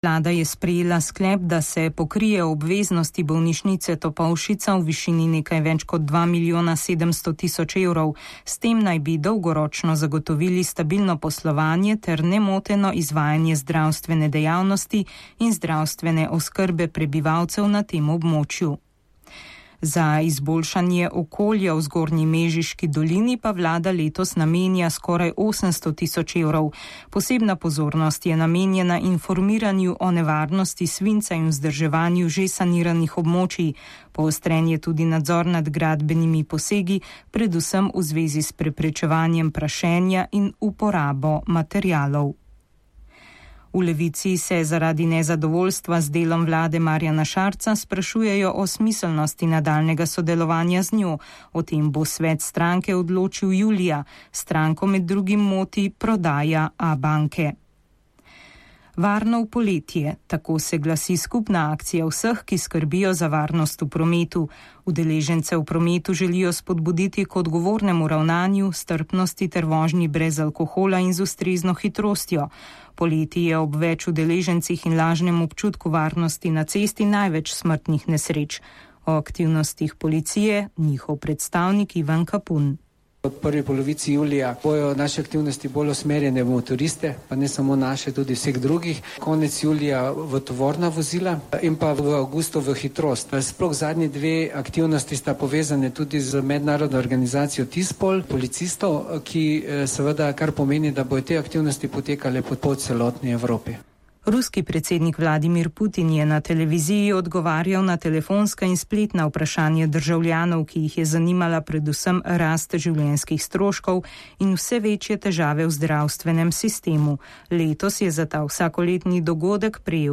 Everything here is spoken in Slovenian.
Vlada je sprejela sklep, da se pokrije obveznosti bolnišnice Topolšica v višini nekaj več kot 2.700.000 evrov. S tem naj bi dolgoročno zagotovili stabilno poslovanje ter nemoteno izvajanje zdravstvene dejavnosti in zdravstvene oskrbe prebivalcev na tem območju. Za izboljšanje okolja v Zgornji Mežiški dolini pa vlada letos namenja skoraj 800.000 evrov. Posebna pozornost je namenjena informiranju o nevarnosti svinca in vzdrževanju že saniranih območij. Poostren je tudi nadzor nad gradbenimi posegi, predvsem v zvezi s preprečevanjem prašenja in uporabo materialov. V Levici se zaradi nezadovoljstva z delom vlade Marjana Šarca sprašujejo o smiselnosti nadaljnega sodelovanja z njo. O tem bo svet stranke odločil julija. Stranko med drugim moti prodaja Abanke. Varno v poletje, tako se glasi skupna akcija vseh, ki skrbijo za varnost v prometu. Udeležence v prometu želijo spodbuditi k odgovornemu ravnanju, strpnosti ter vožnji brez alkohola in z ustrezno hitrostjo. Poleti je ob več udeležencih in lažnem občutku varnosti na cesti največ smrtnih nesreč. O aktivnostih policije njihov predstavnik Ivan Kapun. V prvi polovici julija bojo naše aktivnosti bolj usmerjene v motoriste, pa ne samo naše, tudi vseh drugih. Konec julija v tovorna vozila in pa v avgustu v hitrost. Sploh zadnji dve aktivnosti sta povezane tudi z mednarodno organizacijo TISPOL, policistov, ki seveda kar pomeni, da bojo te aktivnosti potekale po celotni Evropi. Ruski predsednik Vladimir Putin je na televiziji odgovarjal na telefonska in spletna vprašanja državljanov, ki jih je zanimala predvsem rast življenjskih stroškov in vse večje težave v zdravstvenem sistemu. Letos je za ta vsakoletni dogodek prejel